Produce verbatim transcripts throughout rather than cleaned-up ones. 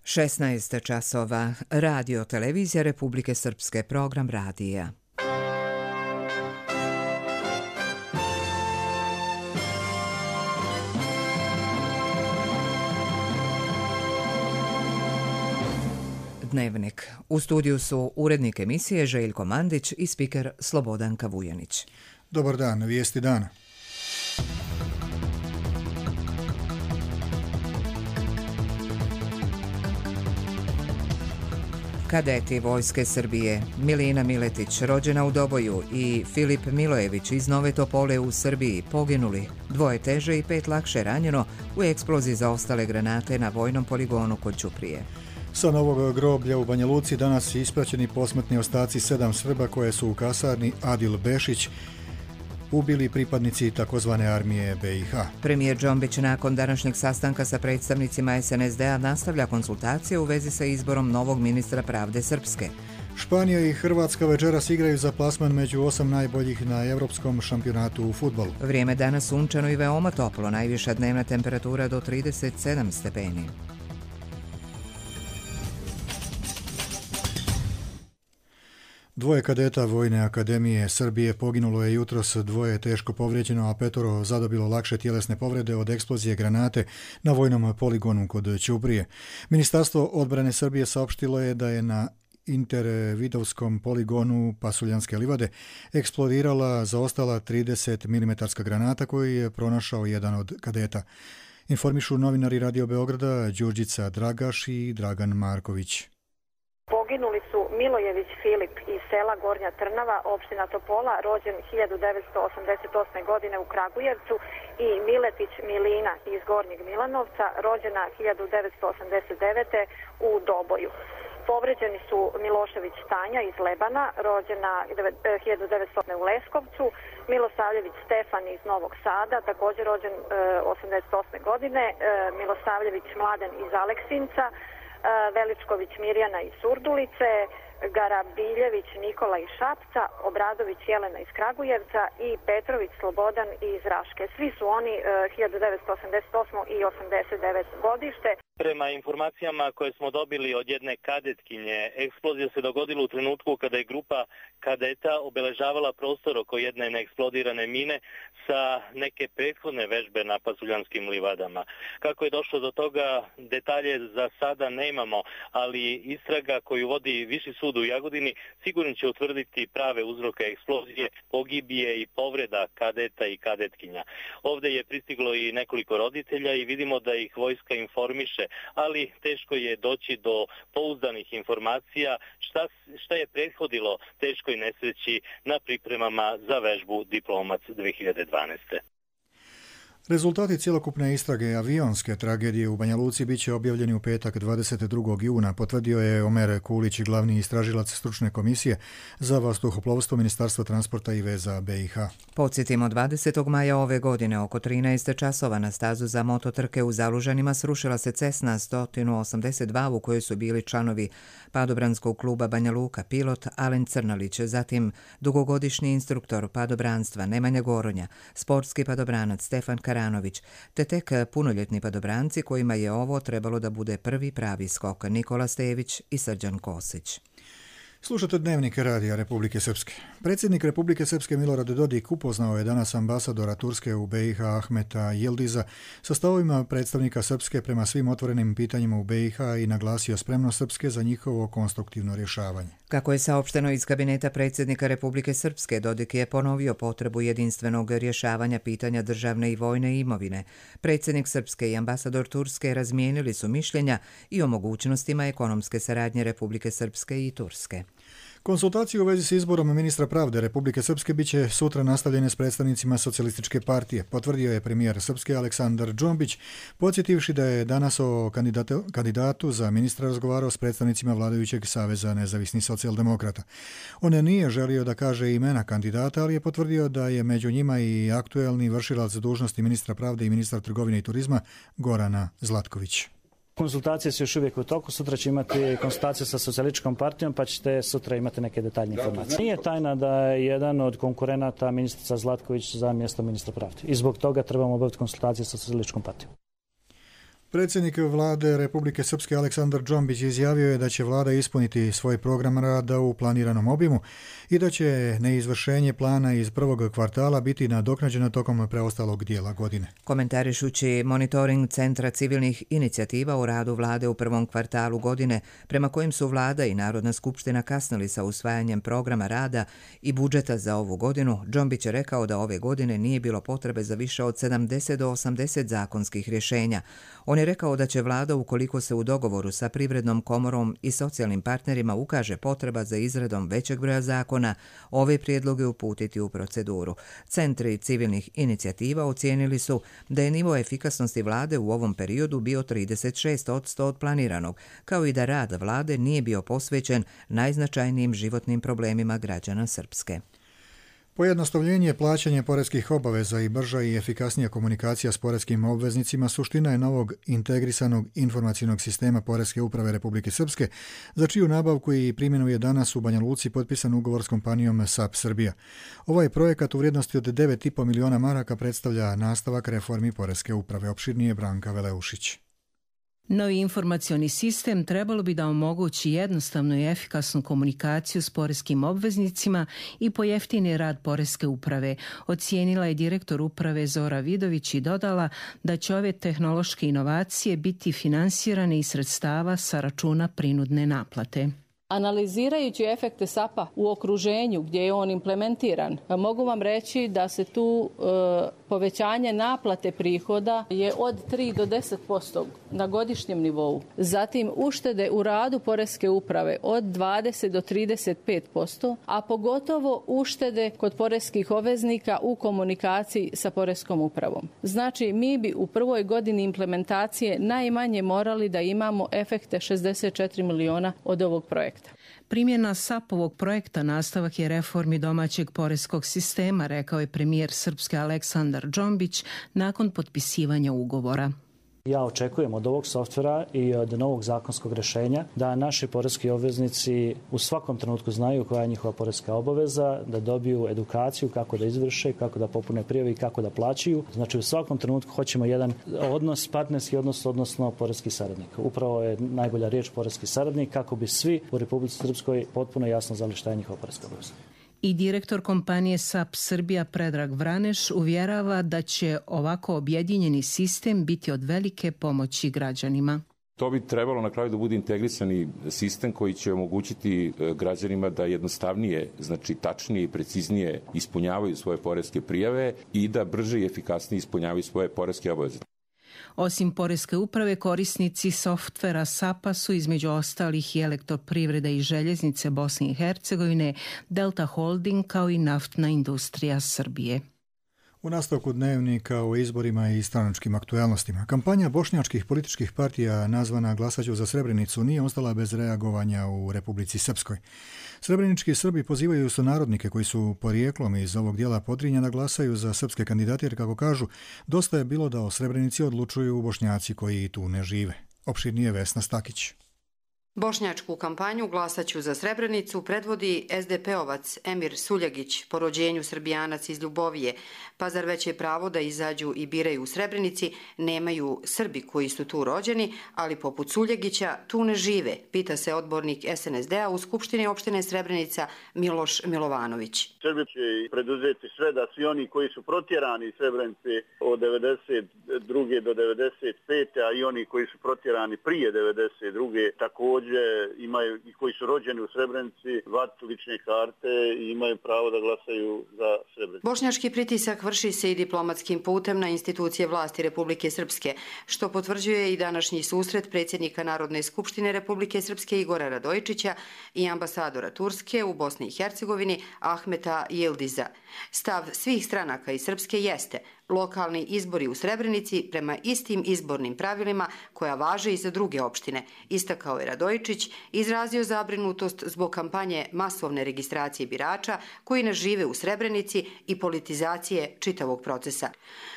šesnaest časova. Radio Televizija Republike Srpske, program radija. Dnevnik. U studiju su urednik emisije Željko Mandić i spiker Slobodanka Vujanić. Dobar dan, vijesti dana. Kadeti Vojske Srbije, Milina Miletić, rođena u Doboju, i Filip Milojević iz Nove Topole u Srbiji poginuli, dvoje teže i pet lakše ranjeno u eksploziji zaostale granate na vojnom poligonu kod Ćuprije. Sa novog groblja u Banja Luci danas ispraćeni posmrtni ostaci sedam Srba koje su u kasarni Adil Bešić ubili pripadnici takozvane armije B i H. Premijer Džombić nakon današnjeg sastanka sa predstavnicima S N S D-a nastavlja konsultacije u vezi sa izborom novog ministra pravde Srpske. Španija i Hrvatska večeras igraju za plasman među osam najboljih na Evropskom šampionatu u fudbalu. Vrijeme danas sunčano i veoma toplo, najviša dnevna temperatura do trideset sedam stepeni. Dvoje kadeta Vojne akademije Srbije poginulo je jutros, dvoje teško povrijeđeno, a petoro zadobilo lakše tjelesne povrede od eksplozije granate na vojnom poligonu kod Ćuprije. Ministarstvo odbrane Srbije saopštilo je da je na intervidovskom poligonu Pasuljanske livade eksplodirala zaostala trideset milimetarska granata koju je pronašao jedan od kadeta. Informišu novinari Radio Beograda Đurđica Dragaš i Dragan Marković. Poginuli su Milojević Filip iz sela Gornja Trnava, opština Topola, rođen hiljadu devetsto osamdeset osme. godine u Kragujevcu, i Miletić Milina iz Gornjeg Milanovca, rođena hiljadu devetsto osamdeset devete. u Doboju. Povređeni su Milošević Tanja iz Lebana, rođena hiljadu devetsto osme. u Leskovcu, Milosavljević Stefan iz Novog Sada, također rođen osamdeset osme. godine, Milosavljević Mladen iz Aleksinca, Veličković Mirjana iz Surdulice, Garabiljević Nikola iz Šapca, Obradović Jelena iz Kragujevca i Petrović Slobodan iz Raške. Svi su oni hiljadu devetsto osamdeset osme. i osamdeset devete. godište. Prema informacijama koje smo dobili od jedne kadetkinje, eksplozija se dogodila u trenutku kada je grupa kadeta obeležavala prostor oko jedne neeksplodirane mine sa neke prethodne vežbe na Pasuljanskim livadama. Kako je došlo do toga, detalje za sada nemamo, ali istraga koju vodi Viši sud u Jagodini sigurno će utvrditi prave uzroke eksplozije, pogibije i povreda kadeta i kadetkinja. Ovdje je pristiglo i nekoliko roditelja i vidimo da ih vojska informiše, ali teško je doći do pouzdanih informacija šta, šta je prethodilo teškoj nesreći na pripremama za vežbu Diplomac dve hiljade dvanaeste. Rezultati cjelokupne istrage avionske tragedije u Banja Luci bit će objavljeni u petak dvadeset drugog juna, potvrdio je Omer Kulić, glavni istražilac stručne komisije za vazduhoplovstvo Ministarstva transporta i veza B i H. Podsjetimo, dvadesetog maja ove godine oko trinaest časova na stazu za mototrke u Zalužanima srušila se Cessna sto osamdeset dva u kojoj su bili članovi padobranskog kluba Banja Luka, pilot Alen Crnalić, zatim dugogodišnji instruktor padobranstva Nemanja Goronja, sportski padobranac Stefan Karanović, te tek punoljetni padobranci kojima je ovo trebalo da bude prvi pravi skok, Nikola Stević i Srđan Kosić. Slušate Dnevnik Radija Republike Srpske. Predsjednik Republike Srpske Milorad Dodik upoznao je danas ambasadora Turske u B i H Ahmeta Yildiza sa stavovima predstavnika Srpske prema svim otvorenim pitanjima u B i H i naglasio spremnost Srpske za njihovo konstruktivno rješavanje. Kako je saopšteno iz kabineta predsjednika Republike Srpske, Dodik je ponovio potrebu jedinstvenog rješavanja pitanja državne i vojne imovine. Predsjednik Srpske i ambasador Turske razmijenili su mišljenja i o mogućnostima ekonomske saradnje Republike Srpske i Turske. Konsultacije u vezi s izborom ministra pravde Republike Srpske biće sutra nastavljene s predstavnicima Socijalističke partije, potvrdio je premijer Srpske Aleksandar Džombić, podsjetivši da je danas o kandidatu, kandidatu za ministra razgovarao s predstavnicima vladajućeg Saveza nezavisnih socijaldemokrata. On nije želio da kaže imena kandidata, ali je potvrdio da je među njima i aktuelni vršilac dužnosti ministra pravde i ministar trgovine i turizma Gorana Zlatković. Konsultacije su još uvijek u toku, sutra će imati konsultacije sa socijalističkom partijom, pa ćete sutra imati neke detaljne informacije. Nije tajna da je jedan od konkurenata ministrica Zlatković za mjesto ministra pravde i zbog toga trebamo obaviti konsultacije sa socijalističkom partijom. Predsjednik vlade Republike Srpske Aleksandar Džombić izjavio je da će vlada ispuniti svoj program rada u planiranom obimu i da će neizvršenje plana iz prvog kvartala biti nadoknađeno tokom preostalog dijela godine. Komentarišući monitoring Centra civilnih inicijativa u radu vlade u prvom kvartalu godine, prema kojim su vlada i Narodna skupština kasnili sa usvajanjem programa rada i budžeta za ovu godinu, Džombić je rekao da ove godine nije bilo potrebe za više od sedamdeset do osamdeset zakonskih rješenja. On je rekao da će vlada, ukoliko se u dogovoru sa Privrednom komorom i socijalnim partnerima ukaže potreba za izradom većeg broja zakona, ove prijedloge uputiti u proceduru. Centri civilnih inicijativa ocijenili su da je nivo efikasnosti vlade u ovom periodu bio trideset šest posto od planiranog, kao i da rad vlade nije bio posvećen najznačajnijim životnim problemima građana Srpske. Pojednostavljenje plaćanja poreskih obaveza i brža i efikasnija komunikacija s poreskim obveznicima suština je novog integrisanog informacijnog sistema Poreske uprave Republike Srpske, za čiju nabavku i primjenu je danas u Banja Luci potpisan ugovor s kompanijom S A P Srbija. Ovaj projekat u vrijednosti od devet i po miliona maraka predstavlja nastavak reformi Poreske uprave. Opširnije Branka Veleušić. Novi informacioni sistem trebalo bi da omogući jednostavnu i efikasnu komunikaciju s poreskim obveznicima i pojeftini rad Poreske uprave, ocijenila je direktor uprave Zora Vidović i dodala da će ove tehnološke inovacije biti finansirane iz sredstava sa računa prinudne naplate. Analizirajući efekte S A P-a u okruženju gdje je on implementiran, mogu vam reći da se tu e, povećanje naplate prihoda je od tri do deset posto na godišnjem nivou. Zatim uštede u radu Poreske uprave od dvadeset do trideset pet posto, a pogotovo uštede kod poreskih obveznika u komunikaciji sa Poreskom upravom. Znači, mi bi u prvoj godini implementacije najmanje morali da imamo efekte šezdeset četiri miliona od ovog projekta. Primjena S A P-ovog projekta nastavak je reformi domaćeg poreskog sistema, rekao je premijer Srpske Aleksandar Džombić nakon potpisivanja ugovora. Ja očekujem od ovog softvera i od novog zakonskog rješenja da naši poreski obveznici u svakom trenutku znaju koja je njihova poreska obaveza, da dobiju edukaciju kako da izvrše, kako da popune prijave i kako da plaćaju. Znači u svakom trenutku hoćemo jedan odnos, partnerski odnos, odnosno poreski saradnik. Upravo je najbolja riječ poreski saradnik kako bi svi u Republici Srpskoj potpuno jasno znali šta je njihova poreska obaveza. I direktor kompanije S A P Srbija Predrag Vraneš uvjerava da će ovako objedinjeni sistem biti od velike pomoći građanima. To bi trebalo na kraju da bude integrisani sistem koji će omogućiti građanima da jednostavnije, znači tačnije i preciznije ispunjavaju svoje poreske prijave i da brže i efikasnije ispunjavaju svoje poreske obaveze. Osim Poreske uprave, korisnici softvera S A P-a su između ostalih i Elektroprivreda i Željeznice Bosne i Hercegovine, Delta Holding kao i Naftna industrija Srbije. U nastavku dnevnika o izborima i stranačkim aktuelnostima, kampanja bošnjačkih političkih partija nazvana Glasaću za Srebrenicu nije ostala bez reagovanja u Republici Srpskoj. Srebrenički Srbi pozivaju sunarodnike koji su porijeklom iz ovog dijela Podrinja da glasaju za srpske kandidate jer, kako kažu, dosta je bilo da o Srebrenici odlučuju Bošnjaci koji tu ne žive. Opširnije Vesna Stakić. Bošnjačku kampanju Glasaću za Srebrenicu predvodi es de pe-ovac Emir Suljagić, po rođenju Srbijanac iz Ljubovije, pa zar već je pravo da izađu i biraju u Srebrenici nemaju Srbi koji su tu rođeni, ali poput Suljagića tu ne žive, pita se odbornik es en es de-a u Skupštini opštine Srebrenica Miloš Milovanović. Srbi će preduzeti sve da svi oni koji su protjerani iz Srebrenice od devedeset druge do devedeset pete a i oni koji su protjerani prije devedeset druge također imaju i koji su rođeni u Srebrenici vat lične karte i imaju pravo da glasaju za Srebrenicu. Bošnjački pritisak vrši se i diplomatskim putem na institucije vlasti Republike Srpske, što potvrđuje i današnji susret predsjednika Narodne skupštine Republike Srpske Igora Radojičića i ambasadora Turske u Bosni i Hercegovini Ahmeta Yildiza. Stav svih stranaka iz Srpske jeste lokalni izbori u Srebrenici prema istim izbornim pravilima koja važe i za druge opštine, istakao je Radojičić, izrazio zabrinutost zbog kampanje masovne registracije birača koji ne žive u Srebrenici i politizacije čitavog procesa.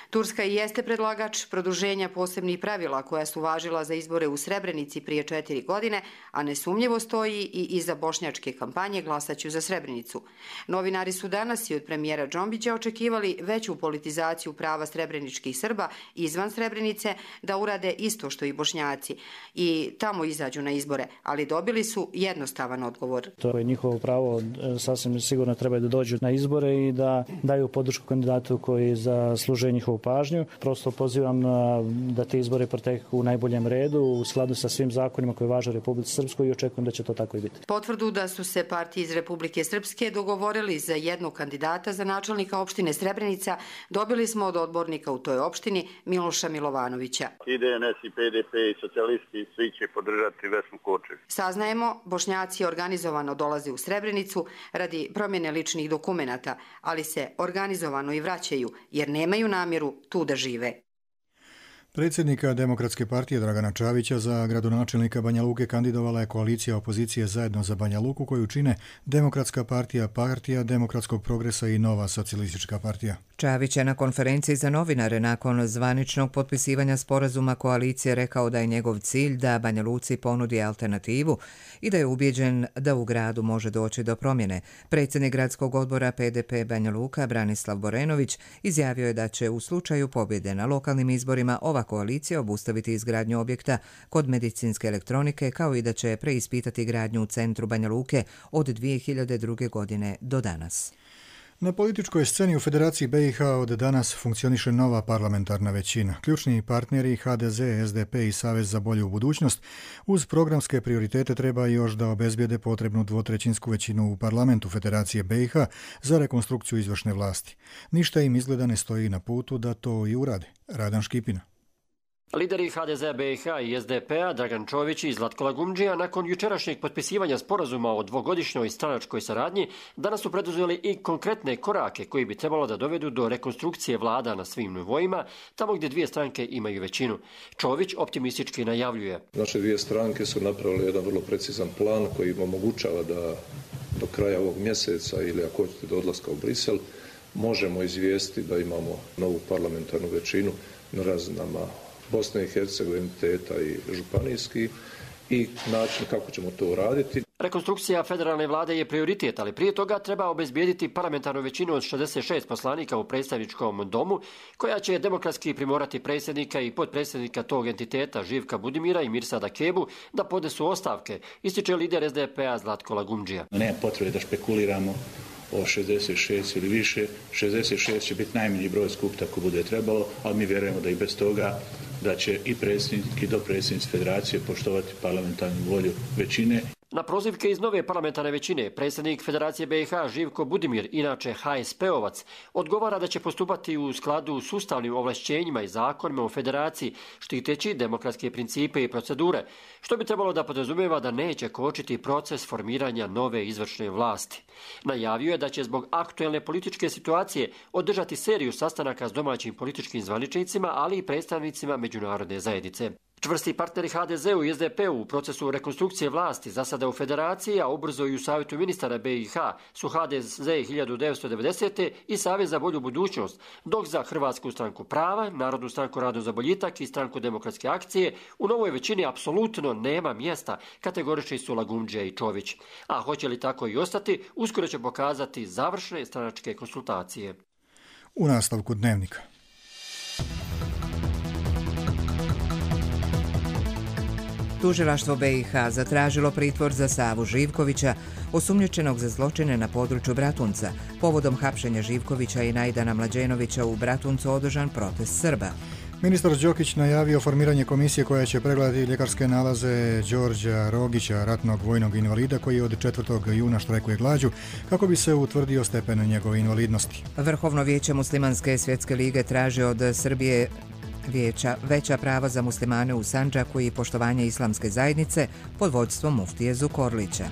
Turska i jeste predlagač produženja posebnih pravila koja su važila za izbore u Srebrenici prije četiri godine, a nesumnjivo stoji i iza bošnjačke kampanje Glasaću za Srebrenicu. Novinari su danas i od premijera Džombića očekivali veću politizaciju prava srebreničkih Srba izvan Srebrenice da urade isto što i Bošnjaci i tamo izađu na izbore, ali dobili su jednostavan odgovor. To je njihovo pravo, sasvim sigurno treba da dođu na izbore i da daju podršku kandidatu koji zaslužuje njihovu pažnju. Prosto pozivam da te izbore proteku u najboljem redu u skladu sa svim zakonima koji važe u Republici Srpskoj i očekujem da će to tako i biti. Potvrdu da su se partije iz Republike Srpske dogovorili za jednog kandidata za načelnika opštine Srebrenica dobili smo od odbornika u toj opštini Miloša Milovanovića. I D N S i P D P i socijalisti svi će podržati Vesnu Kočević. Saznajemo, Bošnjaci organizovano dolaze u Srebrenicu radi promjene ličnih dokumenata, ali se organizovano i vraćaju jer nemaju namjeru tu da žive. Predsjednika Demokratske partije Dragana Čavića za gradonačelnika Banja Luke kandidovala je koalicija opozicije Zajedno za Banja Luku koju čine Demokratska partija, Partija demokratskog progresa i Nova socijalistička partija. Čavić je na konferenciji za novinare nakon zvaničnog potpisivanja sporazuma koalicije rekao da je njegov cilj da Banja Luci ponudi alternativu i da je ubijeđen da u gradu može doći do promjene. Predsjednik gradskog odbora P D P Banja Luka Branislav Borenović izjavio je da će u slučaju pobjede na lokalnim izborima ova koalicija obustaviti izgradnju objekta kod medicinske elektronike kao i da će preispitati gradnju u centru Banja Luke od dvije hiljade druge. godine do danas. Na političkoj sceni u Federaciji B i H od danas funkcioniše nova parlamentarna većina. Ključni partneri H D Z, S D P i Savez za bolju budućnost uz programske prioritete treba još da obezbijede potrebnu dvotrećinsku većinu u parlamentu Federacije B i H za rekonstrukciju izvršne vlasti. Ništa im izgleda ne stoji na putu da to i urade. Radan Škipina. Lideri H D Z B i H i S D P-a Dragan Čović i Zlatko Lagumdžija nakon jučerašnjeg potpisivanja sporazuma o dvogodišnjoj stranačkoj saradnji danas su preduzeli i konkretne korake koji bi trebalo da dovedu do rekonstrukcije vlada na svim nivoima, tamo gdje dvije stranke imaju većinu. Čović optimistički najavljuje. Naše dvije stranke su napravili jedan vrlo precizan plan koji im omogućava da do kraja ovog mjeseca ili ako hoćete do odlaska u Brisel možemo izvijestiti da imamo novu parlamentarnu većinu na razinama Bosne i Hercegovine, teta i županijski i način kako ćemo to uraditi. Rekonstrukcija federalne vlade je prioritet, ali prije toga treba obezbijediti parlamentarnu većinu od šezdeset šest poslanika u predstavničkom domu, koja će demokratski primorati predsjednika i potpredsjednika tog entiteta Živka Budimira i Mirsada Kebu da podnesu ostavke, ističe lider S D P-a Zlatko Lagumdžija. Nema potrebe da špekuliramo o šezdeset šest ili više. šezdeset šest će biti najmanji broj skupta ako bude trebalo, ali mi vjerujemo da i bez toga da će i predsjednik i dopredsjednici Federacije poštovati parlamentarnu volju većine. Na prozivke iz nove parlamentarne većine, predsjednik Federacije B i H Živko Budimir, inače H S P-ovac, odgovara da će postupati u skladu s ustavnim ovlašćenjima i zakonima u Federaciji, štiteći demokratske principe i procedure, što bi trebalo da podrazumijeva da neće kočiti proces formiranja nove izvršne vlasti. Najavio je da će zbog aktuelne političke situacije održati seriju sastanaka s domaćim političkim zvaničnicima, ali i predstavnicima međunarodne zajednice. Čvrsti partneri H D Z-u i S D P-u u procesu rekonstrukcije vlasti za sada u Federaciji, a ubrzo i u Savjetu ministara B i H su H D Z hiljadu devetsto devedesete. i Savez za bolju budućnost, dok za Hrvatsku stranku prava, Narodnu stranku Radno za boljitak i Stranku demokratske akcije u novoj većini apsolutno nema mjesta, kategorični su Lagumdžija i Čović. A hoće li tako i ostati, uskoro će pokazati završne stranačke konsultacije. U nastavku Dnevnika. Tužilaštvo B i H zatražilo pritvor za Savu Živkovića, osumnjičenog za zločine na području Bratunca. Povodom hapšenja Živkovića i Najdana Mlađenovića u Bratuncu održan protest Srba. Ministar Đokić najavio formiranje komisije koja će pregledati ljekarske nalaze Đorđa Rogića, ratnog vojnog invalida koji od četvrtog juna štrajkuje glađu, kako bi se utvrdio stepen njegove invalidnosti. Vrhovno vijeće Muslimanske svjetske lige traži od Srbije vijeća veća prava za muslimane u Sandžaku i poštovanje islamske zajednice pod vođstvom muftije Zukorlića.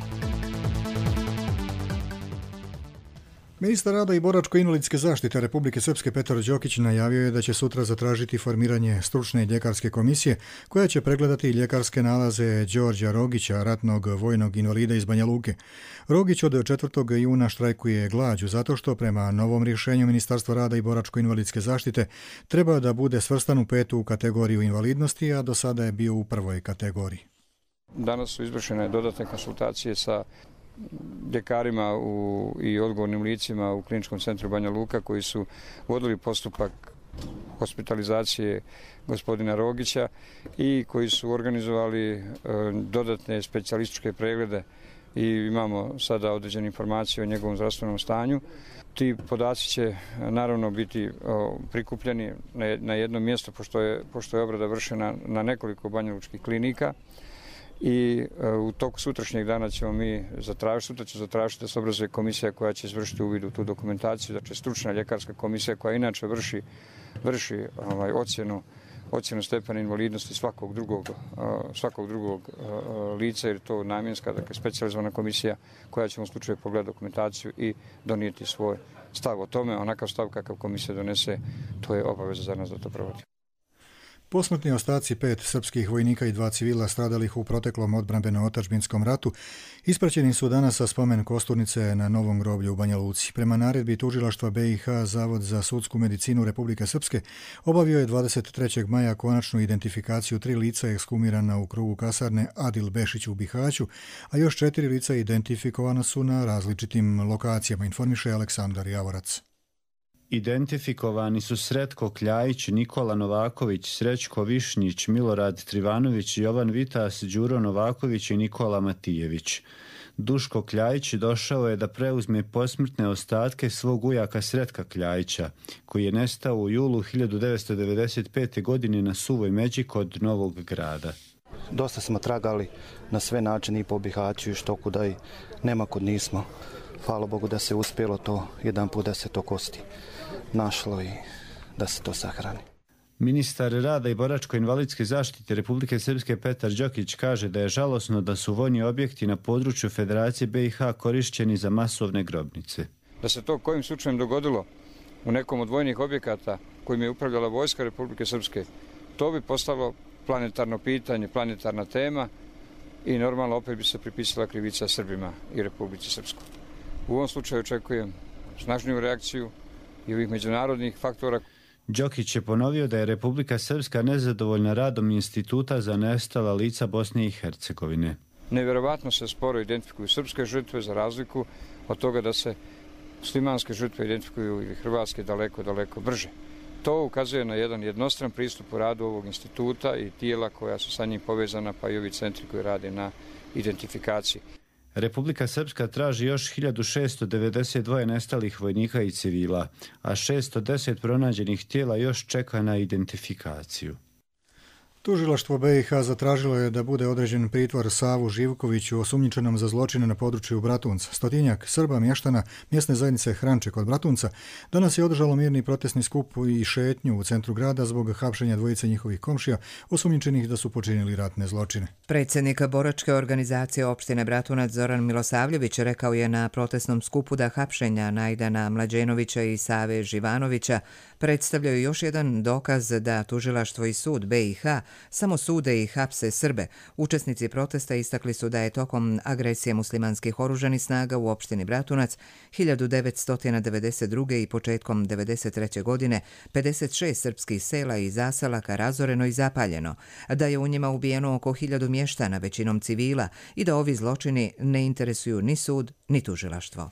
Ministar rada i boračko-invalidske zaštite Republike Srpske Petar Đokić najavio je da će sutra zatražiti formiranje stručne ljekarske komisije koja će pregledati ljekarske nalaze Đorđa Rogića, ratnog vojnog invalida iz Banja Luke. Rogić od četvrtog juna štrajkuje glađu zato što prema novom rješenju Ministarstva rada i boračko-invalidske zaštite treba da bude svrstan u petu kategoriju invalidnosti, a do sada je bio u prvoj kategoriji. Danas su izvršene dodatne konsultacije sa ljekarima u, i odgovornim licima u Kliničkom centru Banja Luka koji su vodili postupak hospitalizacije gospodina Rogića i koji su organizovali dodatne specijalističke preglede i imamo sada određene informacije o njegovom zdravstvenom stanju. Ti podaci će naravno biti prikupljeni na jednom mjestu, pošto je, pošto je obrada vršena na nekoliko banjalučkih klinika i u toku sutrašnjeg dana ćemo mi zatražiti, sutra će zatražiti da se obrazuje komisija koja će izvršiti uvid u tu dokumentaciju, znači stručna ljekarska komisija koja inače vrši, vrši ovaj, ocjenu ocjenu stepena invalidnosti svakog drugog, svakog drugog lica, jer je to namjenska, dakle specijalizovana komisija koja će u slučaju pogledati dokumentaciju i donijeti svoj stav o tome. Onakav stav kakav komisija donese, to je obaveza za nas da to provodi. Posmrtni ostaci pet srpskih vojnika i dva civila stradalih u proteklom odbrambeno-otadžbinskom ratu ispraćeni su danas sa spomen kosturnice na Novom groblju u Banja Luci. Prema naredbi tužilaštva B i H, Zavod za sudsku medicinu Republike Srpske obavio je dvadeset trećeg maja konačnu identifikaciju tri lica ekshumirana u krugu kasarne Adil Bešić u Bihaću, a još četiri lica identifikovana su na različitim lokacijama, informiše Aleksandar Javorac. Identifikovani su Sretko Kljajić, Nikola Novaković, Srećko Višnjić, Milorad Trivanović, Jovan Vitas, Đuro Novaković i Nikola Matijević. Duško Kljajić došao je da preuzme posmrtne ostatke svog ujaka Sretka Kljajića, koji je nestao u julu hiljadu devetsto devedeset pete. godine na Suvoj Međi kod Novog Grada. Dosta smo tragali na sve načine i po Bihaću i što kuda i nema kud nismo. Hvala Bogu da se uspjelo to jedan put da se to kosti našlo i da se to sahrani. Ministar rada i boračko-invalidske zaštite Republike Srpske Petar Đokić kaže da je žalosno da su vojni objekti na području Federacije B i H korišćeni za masovne grobnice. Da se to kojim slučajem dogodilo u nekom od vojnih objekata kojim je upravljala vojska Republike Srpske, to bi postalo planetarno pitanje, planetarna tema i normalno opet bi se pripisala krivica Srbima i Republici Srpskoj. U ovom slučaju očekujem snažniju reakciju i ovih međunarodnih faktora. Đokić je ponovio da je Republika Srpska nezadovoljna radom Instituta za nestala lica Bosne i Hercegovine. Nevjerovatno se sporo identifikuju srpske žrtve za razliku od toga da se muslimanske žrtve identifikuju ili hrvatske daleko, daleko brže. To ukazuje na jedan jednostran pristup u radu ovog instituta i tijela koja su sa njim povezana, pa i ovi centri koji rade na identifikaciji. Republika Srpska traži još hiljadu šesto devedeset dva nestalih vojnika i civila, a šesto deset pronađenih tijela još čeka na identifikaciju. Tužilaštvo B i H zatražilo je da bude određen pritvor Savu Živkoviću osumnjičenom za zločine na području Bratunca. Stotinjak Srba mještana mjesne zajednice Hranče kod Bratunca danas je održalo mirni protestni skup i šetnju u centru grada zbog hapšenja dvojice njihovih komšija osumnjičenih da su počinili ratne zločine. Predsjednik boračke organizacije opštine Bratunac Zoran Milosavljević rekao je na protestnom skupu da hapšenja Najdana Mlađenovića i Save Živanovića predstavljaju još jedan dokaz da tužilaštvo i sud B i H samo sude i hapse Srbe. Učesnici protesta istakli su da je tokom agresije muslimanskih oružanih snaga u opštini Bratunac hiljadu devetsto devedeset druge. i početkom devedeset treće. godine pedeset šest srpskih sela i zaselaka razoreno i zapaljeno, da je u njima ubijeno oko hiljadu mještana, većinom civila, i da ovi zločini ne interesuju ni sud ni tužilaštvo.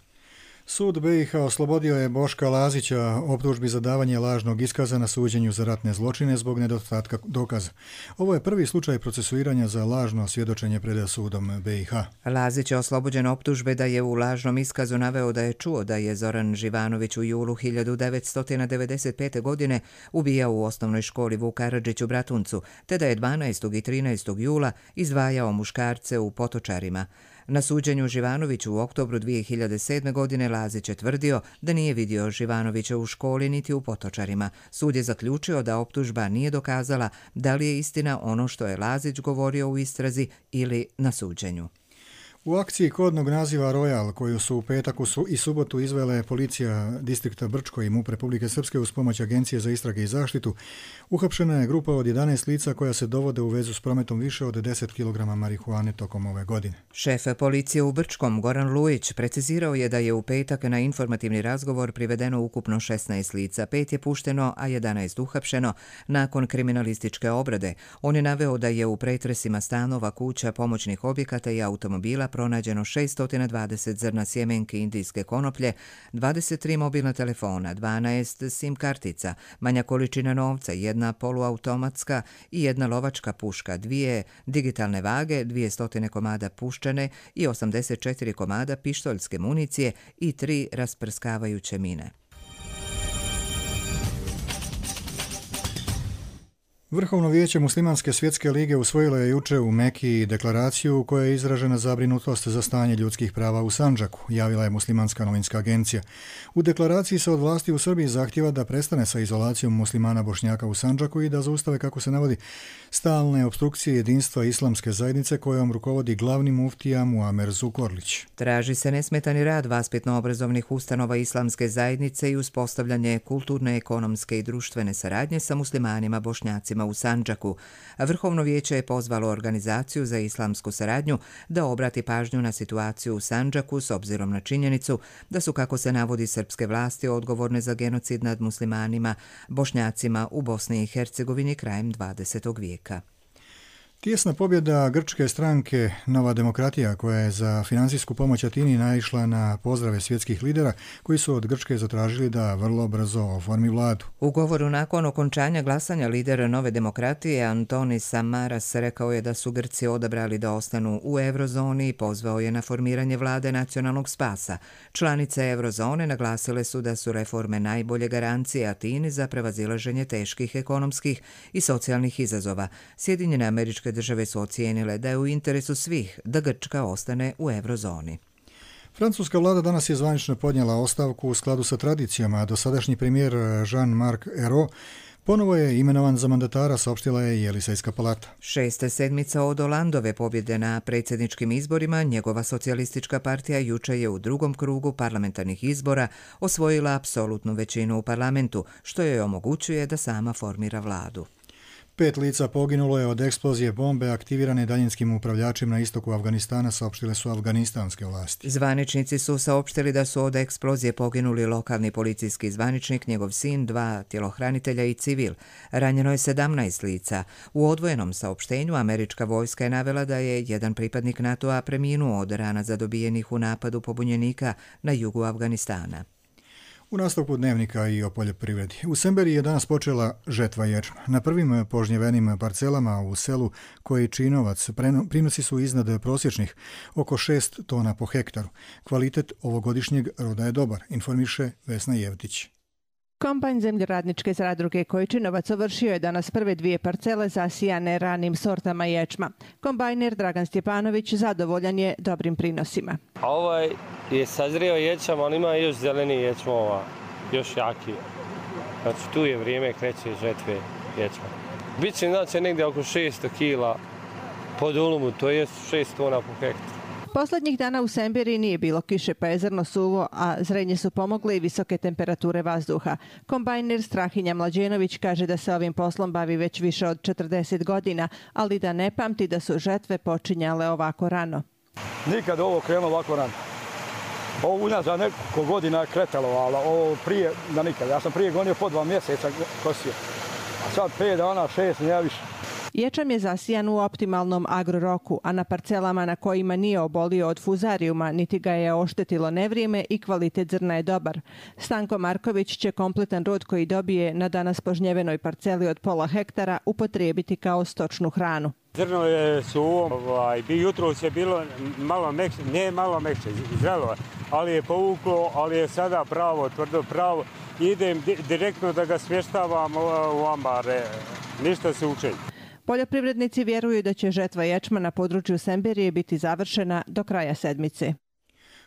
Sud B i H oslobodio je Boška Lazića optužbi za davanje lažnog iskaza na suđenju za ratne zločine zbog nedostatka dokaza. Ovo je prvi slučaj procesuiranja za lažno svjedočenje pred sudom B i H. Lazić je oslobođen optužbe da je u lažnom iskazu naveo da je čuo da je Zoran Živanović u julu hiljadu devetsto devedeset pete. godine ubijao u osnovnoj školi Vuk Karadžić u Bratuncu, te da je dvanaestog i trinaestog jula izdvajao muškarce u Potočarima. Na suđenju Živanoviću u oktobru dvije hiljade sedme. godine Lazić je tvrdio da nije vidio Živanovića u školi niti u Potočarima. Sud je zaključio da optužba nije dokazala da li je istina ono što je Lazić govorio u istrazi ili na suđenju. U akciji kodnog naziva Royal, koju su u petak i subotu izvele policija distrikta Brčko i MUP Republike Srpske uz pomoć Agencije za istrage i zaštitu, uhapšena je grupa od jedanaest lica koja se dovode u vezu s prometom više od deset kilograma marihuane tokom ove godine. Šef policije u Brčkom, Goran Lujić, precizirao je da je u petak na informativni razgovor privedeno ukupno šesnaest lica, pet je pušteno, a jedanaest uhapšeno nakon kriminalističke obrade. On je naveo da je u pretresima stanova, kuća, pomoćnih objekata i automobila pronađeno šest stotina dvadeset zrna sjemenke indijske konoplje, dvadeset tri mobilna telefona, dvanaest sim kartica, manja količina novca, jedna poluautomatska i jedna lovačka puška, dvije digitalne vage, dvije stotine komada puščane i osamdeset četiri komada pištoljske municije i tri rasprskavajuće mine. Vrhovno vijeće Muslimanske svjetske lige usvojilo je juče u Mekiji deklaraciju u kojoj je izražena zabrinutost za stanje ljudskih prava u Sandžaku, javila je Muslimanska novinska agencija. U deklaraciji se od vlasti u Srbiji zahtjeva da prestane sa izolacijom muslimana Bošnjaka u Sandžaku i da zaustave, kako se navodi, stalne opstrukcije jedinstva islamske zajednice kojom rukovodi glavni muftija Muamer Zukorlić. Traži se nesmetani rad vaspitno-obrazovnih ustanova islamske zajednice i uspostavljanje kulturne, ekonomske i društvene saradnje sa muslimanima Bošnjacima u Sandžaku. Vrhovno vijeće je pozvalo Organizaciju za islamsku saradnju da obrati pažnju na situaciju u Sandžaku s obzirom na činjenicu da su, kako se navodi, srpske vlasti odgovorne za genocid nad muslimanima Bošnjacima u Bosni i Hercegovini krajem dvadesetog vijeka. Tijesna pobjeda grčke stranke Nova demokratija, koja je za financijsku pomoć Atini naišla na pozdrave svjetskih lidera koji su od Grčke zatražili da vrlo brzo oformi vladu. U govoru nakon okončanja glasanja lidera Nove demokratije Antonis Samaras rekao je da su Grci odabrali da ostanu u eurozoni i pozvao je na formiranje vlade nacionalnog spasa. Članice eurozone naglasile su da su reforme najbolje garancije Atini za prevazilaženje teških ekonomskih i socijalnih izazova. Sjedinjene Američke države su ocijenile da je u interesu svih da Grčka ostane u eurozoni. Francuska vlada danas je zvanično podnijela ostavku u skladu sa tradicijama, a dosadašnji premijer Jean-Marc Ayrault ponovo je imenovan za mandatara, saopštila je i Elisejska palata. Šesta sedmica od Holandove pobjede na predsjedničkim izborima, njegova socijalistička partija juče je u drugom krugu parlamentarnih izbora osvojila apsolutnu većinu u parlamentu, što joj omogućuje da sama formira vladu. Pet lica poginulo je od eksplozije bombe aktivirane daljinskim upravljačem na istoku Afganistana, saopštile su afganistanske vlasti. Zvaničnici su saopštili da su od eksplozije poginuli lokalni policijski zvaničnik, njegov sin, dva tjelohranitelja i civil. Ranjeno je sedamnaest lica. U odvojenom saopštenju američka vojska je navela da je jedan pripadnik NATO-a preminuo od rana zadobijenih u napadu pobunjenika na jugu Afganistana. U nastavku dnevnika i o poljoprivredi. U Semberiji je danas počela žetva ječma. Na prvim požnjevenim parcelama u selu Kojičinovac prinosi su iznad prosječnih, oko šest tona po hektaru. Kvalitet ovogodišnjeg roda je dobar, informiše Vesna Jevtić. Kombajn zemljoradničke zadruge Kojičinovac ovršio je danas prve dvije parcele zasijane ranim sortama ječma. Kombajner Dragan Stjepanović zadovoljan je dobrim prinosima. Ovaj je sazrio ječam, ali ima još zeleni ječmova, još jaki. Znači tu je vrijeme kreće žetve ječma. Biće znači negdje oko šesto kila po dulumu, to je šest tona po hektaru. Poslednjih dana u Semberiji nije bilo kiše, pa je zrno suvo, a zrenje su pomogle i visoke temperature vazduha. Kombajner Strahinja Mlađenović kaže da se ovim poslom bavi već više od četrdeset godina, ali da ne pamti da su žetve počinjale ovako rano. Nikad ovo krenulo ovako rano. Ovo unazad nekoliko godina je kretalo, ali ovo prije da nikad. Ja sam prije gonio po dva mjeseca kosio, a sad pet dana, šest, nije više. Ječam je zasijan u optimalnom agroroku, a na parcelama na kojima nije obolio od fuzarijuma, niti ga je oštetilo nevrijeme i kvalitet zrna je dobar. Stanko Marković će kompletan rod koji dobije na danas požnjevenoj parceli od pola hektara upotrijebiti kao stočnu hranu. Zrno je suvo, ovaj, jutro je bilo malo mekše, ne malo mekše, zrelo, ali je povuklo, ali je sada pravo, tvrdo pravo. Idem di, direktno da ga smještavam u ambare, ništa se uče. Poljoprivrednici vjeruju da će žetva ječma na području Semberije biti završena do kraja sedmice.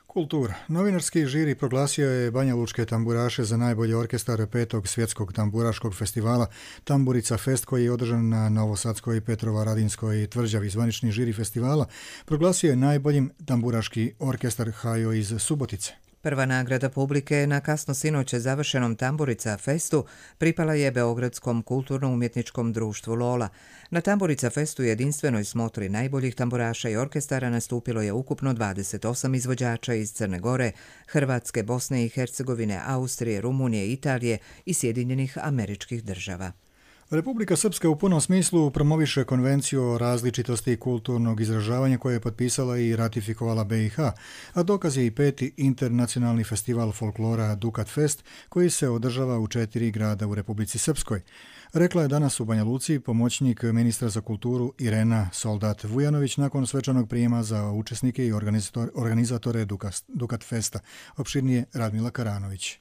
Kultura. Novinarski žiri proglasio je banjalučke tamburaše za najbolji orkestar petog svjetskog tamburaškog festivala Tamburica Fest, koji je održan na Novosadskoj, Petrovaradinskoj tvrđavi. Zvanični žiri festivala proglasio je najboljim tamburaški orkestar Hajo iz Subotice. Prva nagrada publike na kasno sinoće završenom Tamburica Festu pripala je Beogradskom kulturno-umjetničkom društvu Lola. Na Tamburica Festu jedinstvenoj smotri najboljih tamburaša i orkestara nastupilo je ukupno dvadeset osam izvođača iz Crne Gore, Hrvatske, Bosne i Hercegovine, Austrije, Rumunije, Italije i Sjedinjenih Američkih Država. Republika Srpska u punom smislu promoviše konvenciju o različitosti kulturnog izražavanja koje je potpisala i ratifikovala B i H, a dokaz je i peti internacionalni festival folklora Dukat Fest koji se održava u četiri grada u Republici Srpskoj. Rekla je danas u Banja Luci pomoćnik ministra za kulturu Irena Soldat Vujanović nakon svečanog prijema za učesnike i organizatore Dukat Festa. Opširnije Radmila Karanović.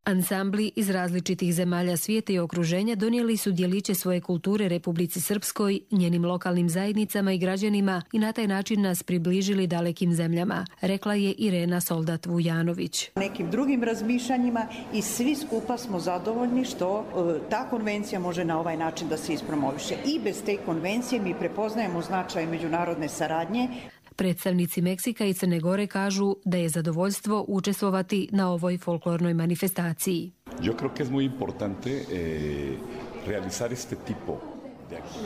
Ansambli iz različitih zemalja svijeta i okruženja donijeli su djeliće svoje kulture Republici Srpskoj, njenim lokalnim zajednicama i građanima i na taj način nas približili dalekim zemljama, rekla je Irena Soldat Vujanović. Nekim drugim razmišljanjima i svi skupa smo zadovoljni što e, ta konvencija može na ovaj način da se ispromoviše. I bez te konvencije mi prepoznajemo značaj međunarodne saradnje. Predstavnici Meksika i Crne Gore kažu da je zadovoljstvo učestvovati na ovoj folklornoj manifestaciji. Yo creo que es muy importante eh, realizar este tipo.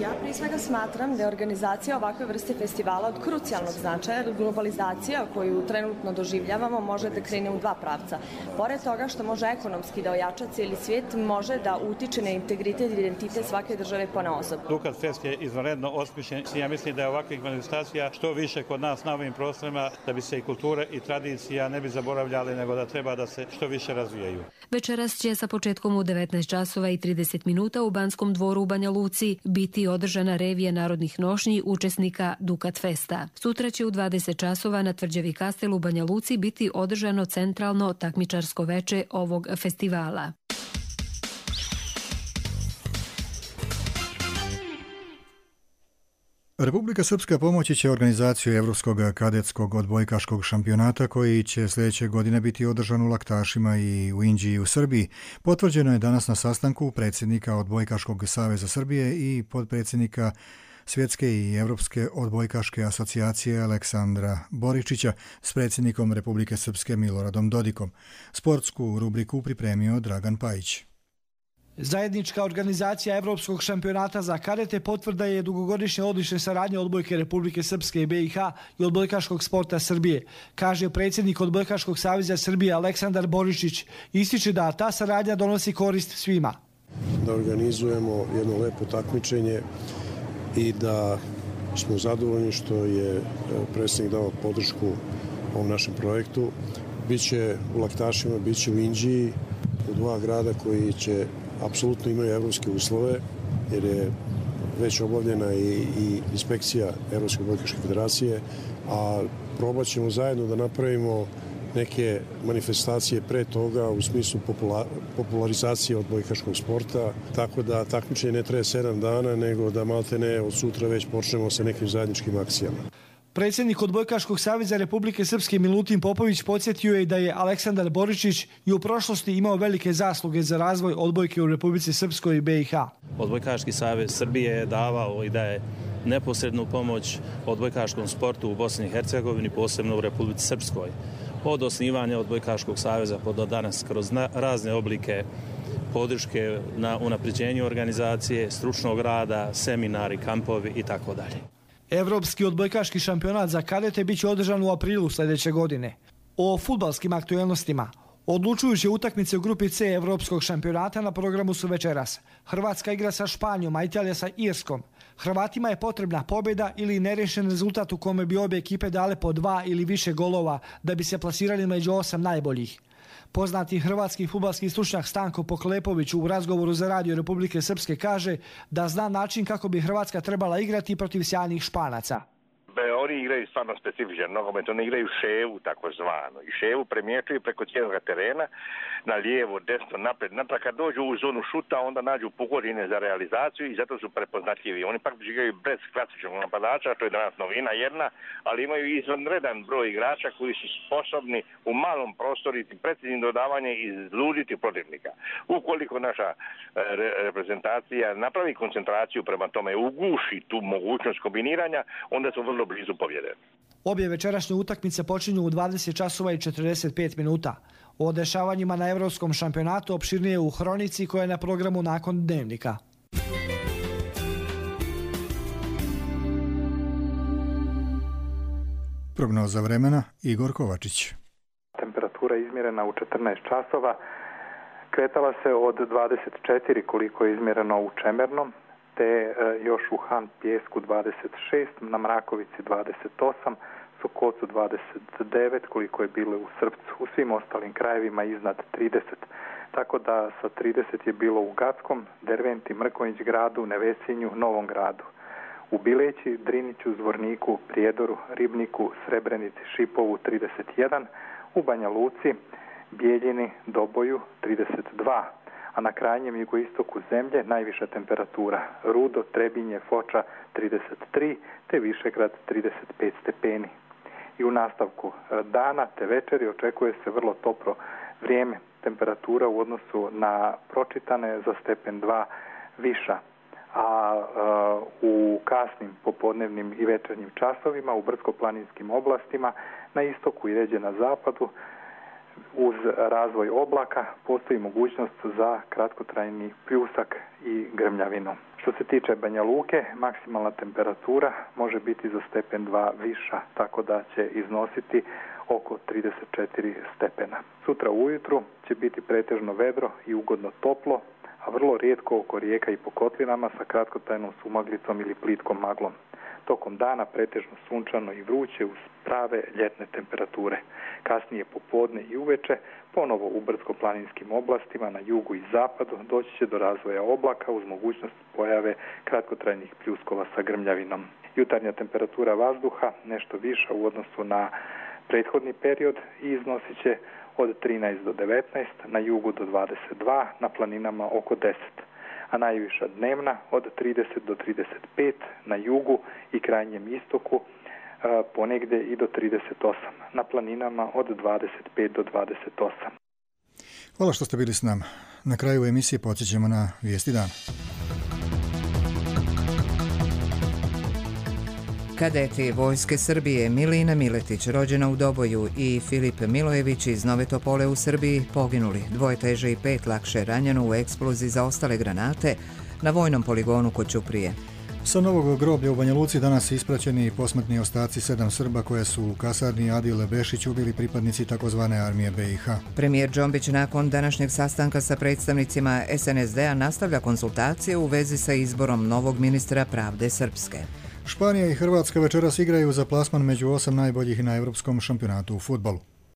Ja prije svega smatram da je organizacija ovakve vrste festivala od krucijalnog značaja, jer globalizacija koju trenutno doživljavamo može da krene u dva pravca. Pored toga što može ekonomski da ojača cijeli svijet, može da utiče na integritet i identitet svake države ponaosob. Dukat Fest je izvanredno osmišljen. Ja mislim da je ovakvih manifestacija što više kod nas na ovim prostorima, da bi se i kultura i tradicija ne bi zaboravljali, nego da treba da se što više razvijaju. Večeras će sa početkom u devetnaest časova i trideset minuta u Banskom dvoru u Banja Luci biti održana revija narodnih nošnji učesnika Dukat Festa. Sutra će u dvadeset časova na Tvrđavi Kastel u Banja Luci biti održano centralno takmičarsko veče ovog festivala. Republika Srpska pomoći će organizaciju Evropskog kadetskog odbojkaškog šampionata koji će sljedeće godine biti održan u Laktašima i u Inđiji u Srbiji. Potvrđeno je danas na sastanku predsjednika Odbojkaškog saveza Srbije i podpredsjednika Svjetske i Evropske odbojkaške asocijacije Aleksandra Boričića s predsjednikom Republike Srpske Miloradom Dodikom. Sportsku rubriku pripremio Dragan Pajić. Zajednička organizacija Evropskog šampionata za kadete potvrda je dugogodišnje odlične saradnje odbojke Republike Srpske i B i H i odbojkaškog sporta Srbije, kaže predsjednik Odbojkaškog saveza Srbije Aleksandar Boričić. Ističe da ta saradnja donosi korist svima. Da organizujemo jedno lepo takmičenje i da smo zadovoljni što je predsjednik dao podršku ovom našem projektu. Biće u Laktašima, biće u Inđiji, u dva grada koji će apsolutno imaju evropske uslove, jer je već obavljena i, i inspekcija Evropske odbojkaške federacije, a probat ćemo zajedno da napravimo neke manifestacije pre toga u smislu popula, popularizacije odbojkaškog sporta, tako da takmičenje ne traje sedam dana, nego da maltene od sutra već počnemo sa nekim zajedničkim akcijama. Predsjednik Odbojkaškog saveza Republike Srpske Milutin Popović podsjetio je da je Aleksandar Boričić i u prošlosti imao velike zasluge za razvoj odbojke u Republici Srpskoj i B i H. Odbojkaški savez Srbije je davao i daje neposrednu pomoć odbojkaškom sportu u Bosni i Hercegovini, posebno u Republici Srpskoj. Od osnivanja Odbojkaškog saveza pa do danas kroz razne oblike podrške na unapređenju organizacije, stručnog rada, seminari, kampovi i tako dalje. Evropski odbojkaški šampionat za kadete biće održan u aprilu sljedeće godine. O fudbalskim aktuelnostima. Odlučujuće utakmice u grupi C Evropskog šampionata na programu su večeras. Hrvatska igra sa Španjom, a Italija sa Irskom. Hrvatima je potrebna pobjeda ili nerešen rezultat u kome bi obje ekipe dale po dva ili više golova da bi se plasirali među osam najboljih. Poznati hrvatski fudbalski stručnjak Stanko Poklepović u razgovoru za Radio Republike Srpske kaže da zna način kako bi Hrvatska trebala igrati protiv sjajnih Španaca. Oni igraju stvarno specifičan nogomet, oni igraju ševu takozvano i ševu premječuju preko cijelog terena, na lijevo, desno, napred, natrag. Kad dođu u zonu šuta, onda nađu pogodine za realizaciju i zato su prepoznatljivi. Oni pak igraju bez klasičnog napadača, to je danas novina jedna, ali imaju izvanredan broj igrača koji su sposobni u malom prostoru i preciznim dodavanje izluditi protivnika. Ukoliko naša re- reprezentacija napravi koncentraciju prema tome, uguši tu mogućnost kombiniranja, onda su vrlo blizu pobjede. Obje večerašnje utakmice počinju u dvadeset časova i četrdeset pet minuta. O dešavanjima na Evropskom šampionatu opširnije u Hronici koja je na programu nakon Dnevnika. Prognoza vremena Igor Kovačić. Temperatura izmjerena u četrnaest časova. kretala se od dvadeset četiri koliko je izmjereno u Čemernom, te još u Han Pijesku dvadeset šest, na Mrakovici dvadeset osam, Sokocu dvadeset devet koliko je bilo u Srpcu, u svim ostalim krajevima iznad trideset. Tako da sa trideset je bilo u Gackom, Derventi, Mrkonjić gradu, Nevesinju, Novom gradu. U Bileći, Driniću, Zvorniku, Prijedoru, Ribniku, Srebrenici, Šipovu trideset jedan, u Banja Luci, Bijeljini, Doboju trideset dva, a na krajnjem jugoistoku zemlje najviša temperatura Rudo, Trebinje, Foča trideset tri, te Višegrad trideset pet stepeni. I u nastavku dana te večeri očekuje se vrlo toplo vrijeme, temperatura u odnosu na pročitane za stepen dva viša, a uh, u kasnim popodnevnim i večernjim časovima u brdsko-planinskim oblastima na istoku i ređe na zapadu uz razvoj oblaka postoji mogućnost za kratkotrajni pljusak i grmljavinu. Što se tiče Banja Luke, maksimalna temperatura može biti za stepen dva viša, tako da će iznositi oko trideset četiri stepena. Sutra ujutru će biti pretežno vedro i ugodno toplo, a vrlo rijetko oko rijeka i po kotlinama sa kratkotrajnom sumaglicom ili plitkom maglom. Tokom dana pretežno sunčano i vruće uz prave ljetne temperature. Kasnije popodne i uveče, ponovo u brdsko-planinskim oblastima na jugu i zapadu doći će do razvoja oblaka uz mogućnost pojave kratkotrajnih pljuskova sa grmljavinom. Jutarnja temperatura vazduha nešto viša u odnosu na prethodni period i iznosit će od trinaest do devetnaest, na jugu do dvadeset dva, na planinama oko deset. A najviša dnevna od trideset do trideset pet, na jugu i krajnjem istoku ponegdje i do trideset osam, na planinama od dvadeset pet do dvadeset osam. Hvala što ste bili s nama. Na kraju emisije podsjećamo na vijesti dana. Kadeti Vojske Srbije Milina Miletić, rođena u Doboju, i Filip Milojević iz Nove Topole u Srbiji poginuli. Dvoje teže i pet lakše ranjeno u eksploziji za ostale granate na vojnom poligonu kod Ćuprije. Sa novog groblja u Banja Luci danas ispraćeni i posmrtni ostaci sedam Srba koje su u kasarni Adile Bešić ubili pripadnici takozvane armije B i H. Premijer Džombić nakon današnjeg sastanka sa predstavnicima S N S D-a nastavlja konsultacije u vezi sa izborom novog ministra pravde Srpske. Španija i Hrvatska večeras igraju za plasman među osam najboljih na Europskom šampionatu u fudbalu.